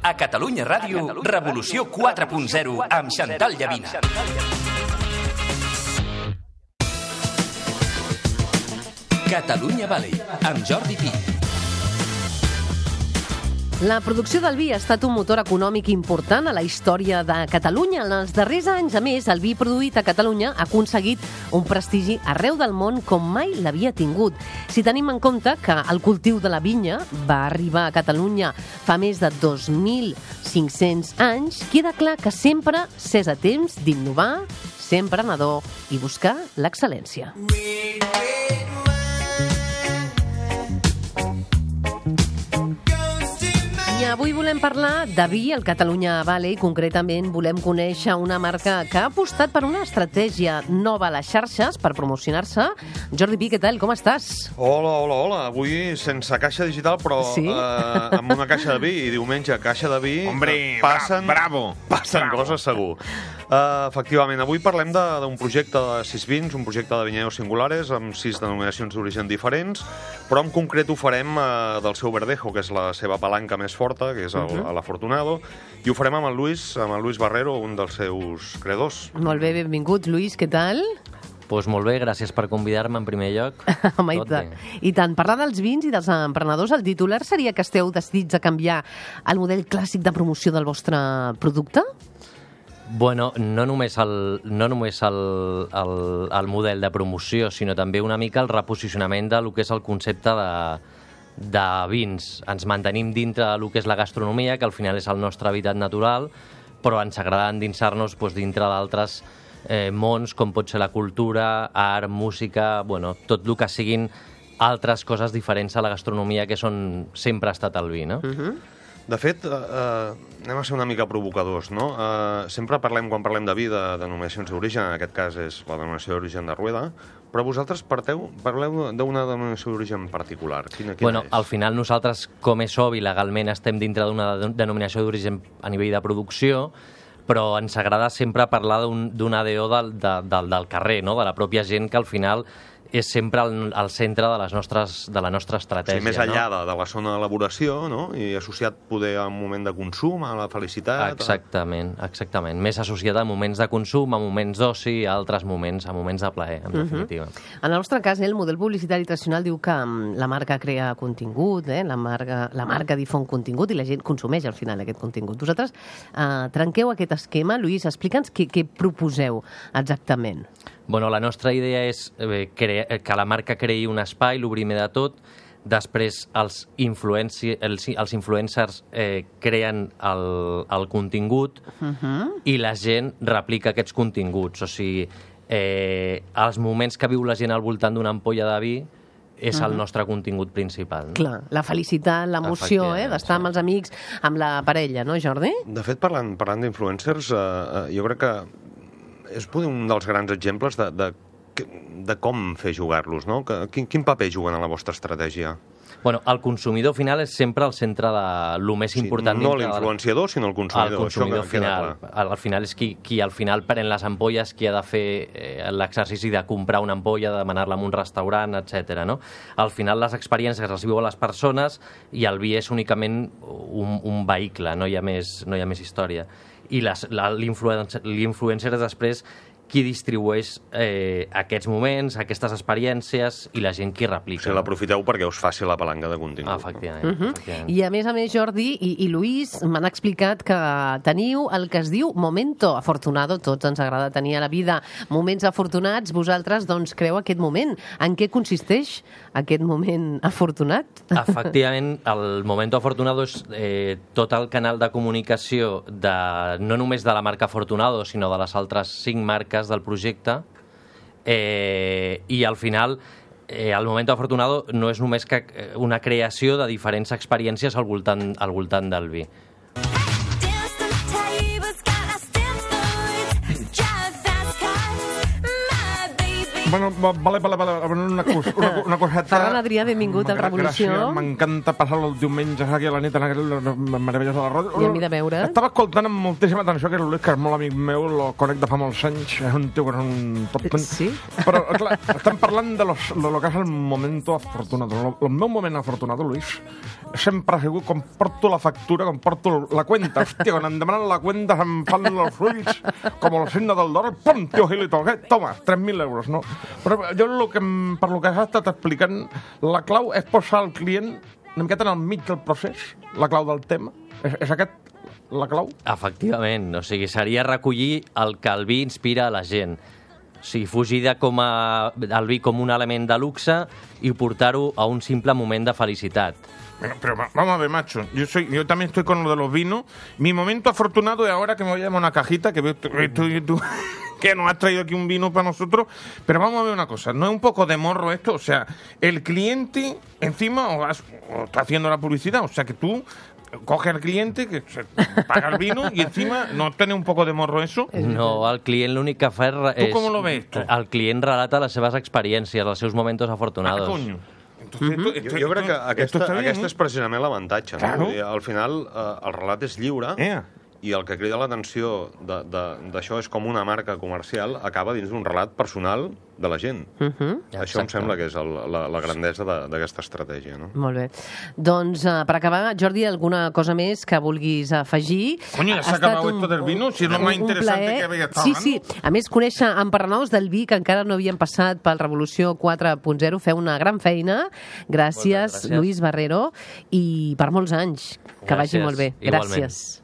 A Catalunya Ràdio, Revolució 4.0 amb Xantal Llavina. Catalunya Valley, amb Jordi Pi. La producció del vi ha estat un motor econòmic important a la història de Catalunya. En els darrers anys, a més, el vi produït a Catalunya ha aconseguit un prestigi arreu del món com mai l'havia tingut. Si tenim en compte que el cultiu de la vinya va arribar a Catalunya fa més de 2.500 anys, queda clar que sempre s'és a temps d'innovar, ser emprenedor i buscar l'excel·lència. I avui volem parlar de vi al Catalunya Valley. Concretament volem conèixer una marca que ha apostat per una estratègia nova a les xarxes per promocionar-se. Jordi Pi, què tal? Com estàs? Hola. Avui sense caixa digital, però sí? Amb una caixa de vi. I diumenge, caixa de vi. Hombre, passen bravo! Passen coses, segur. Efectivament, avui parlem d'un projecte de 6 vins, un projecte de vinyedos singulares, amb 6 denominacions d'origen diferents, però en concret ho farem del seu verdejo, que és la seva palanca més forta, que és l'Afortunado, i ho farem amb el Luis Barrero, un dels seus creadors. Molt bé, benvingut, Luis, què tal? Doncs molt bé, gràcies per convidar-me en primer lloc. Home, i tant. Parlar dels vins i dels emprenedors, el titular seria que esteu decidits a canviar el model clàssic de promoció del vostre producte? Bueno, no només el model de promoció, sinó també una mica el reposicionament del que és el concepte de vins. Ens mantenim dintre del que és la gastronomia, que al final és el nostre hàbitat natural, però ens agrada endinsar-nos dintre d'altres mons, com pot ser la cultura, art, música, tot el que siguin altres coses diferents a la gastronomia, que sempre ha estat el vi, no? De fet, anem a ser una mica provocadors, no? Sempre quan parlem de vi, de denominacions d'origen, en aquest cas és la denominació d'origen de Rueda, però vosaltres parleu d'una denominació d'origen particular. Quina és? Al final nosaltres, com és obvi, legalment estem dintre d'una denominació d'origen a nivell de producció, però ens agrada sempre parlar d'un ADO del carrer, no? De la pròpia gent, que al final és sempre al centre de la nostra estratègia. Sí, més enllà de la zona d'elaboració, no? I associat poder a un moment de consum, a la felicitat... Exactament. Més associat a moments de consum, a moments d'oci, a altres moments, a moments de plaer, en definitiva. En el nostre cas, el model publicitari tradicional diu que la marca crea contingut, la marca difon contingut i la gent consumeix al final aquest contingut. Vosaltres trenqueu aquest esquema. Lluís, explica'ns què proposeu exactament. Bueno, la nostra idea és que la marca creï un espai, el primer de tot, després els influencers creen el contingut i la gent replica aquests continguts. O sigui, els moments que viu la gent al voltant d'una ampolla de vi és el nostre contingut principal. No? Clar, la felicitat, l'emoció, d'estar amb els amics, amb la parella, no, Jordi? De fet, parlant d'influencers, jo crec que és un dels grans exemples de com fer jugar-los, no? Quin paper juguen a la vostra estratègia? Bueno, el consumidor final és sempre el centre de lo més important. No l'influenciador, sinó el consumidor. El consumidor final. Al final és qui al final pren les ampolles, qui ha de fer l'exercici de comprar una ampolla, de demanar-la en un restaurant, etc. No? Al final les experiències les viuen les persones i el vi és únicament un vehicle, no hi ha més història. I l'influencer és després qui distribueix aquests moments, aquestes experiències i la gent qui replica. O sigui, l'aprofiteu perquè us faci la palanca de contingut. Efectivament. I a més, Jordi i Luis m'han explicat que teniu el que es diu Momento Afortunado. Tots ens agrada tenir a la vida moments afortunats. Vosaltres, doncs, creu aquest moment. En què consisteix aquest moment afortunat? Efectivament, el Momento Afortunado és tot el canal de comunicació no només de la marca Afortunado, sinó de les altres 5 marques del projecte, i al final el Momento Afortunado no és només que una creació de diferents experiències al voltant del vi. Bueno, vale, una coseta... Ferran Adrià, benvingut al Revolució. Gràcies, m'encanta passar els diumenges aquí a la nit en aquelles meravelles de la ràdio. I a mi de veure. Estava escoltant amb moltíssima atenció que l'Ulis, que és molt amic meu, lo conec de fa molts anys, és un tio que és un top ten. Sí? Però, clar, estem parlant de lo que és el momento afortunado. El meu moment afortunado, Luis, sempre ha sigut com porto la factura, com porto la cuenta. Hòstia, quan em demanen la cuenta se'm fan els ulls com el signe del dòlar. Pum, tio Gilito, què? Toma, 3.000 euros, no? Però jo per lo que has estat explicant, la clau és posar el client una miqueta en el mig del procés, la clau del tema. És aquest la clau? Efectivament, o sigui, seria recollir el que el vi inspira a la gent. O sigui, fugir el vi com un element de luxe i portar-ho a un simple moment de felicitat. Pero vamos a ver, macho, yo también estoy con lo de los vinos. Mi momento afortunado es ahora que me voy a llevar una cajita que tú que nos has traído aquí un vino para nosotros. Pero vamos a ver una cosa, ¿no es un poco de morro esto? O sea, el cliente encima o está haciendo la publicidad, o sea que tú coges al cliente que se paga el vino y encima no tiene un poco de morro eso. No, el client l'únic que fa és... Tu com lo ves, tu? El client relata les seves experiències, els seus momentos afortunados. Coño. Jo crec que aquesta és precisament l'avantatge. Claro. No? Al final, el relat és lliure i el que crida l'atenció d'això és com una marca comercial acaba dins d'un relat personal de la gent. Això em sembla que és la grandesa d'aquesta estratègia. No? Molt bé. Doncs, per acabar, Jordi, alguna cosa més que vulguis afegir? Coño, ya se ha acabado esto del vino, si es lo más interesante que había estado hablando. Sí. A més, conèixer en Parranous del vi, que encara no havien passat pel Revolució 4.0, feu una gran feina. Gràcies, Luis Barrero, i per molts anys. Que vagi molt bé. Gràcies.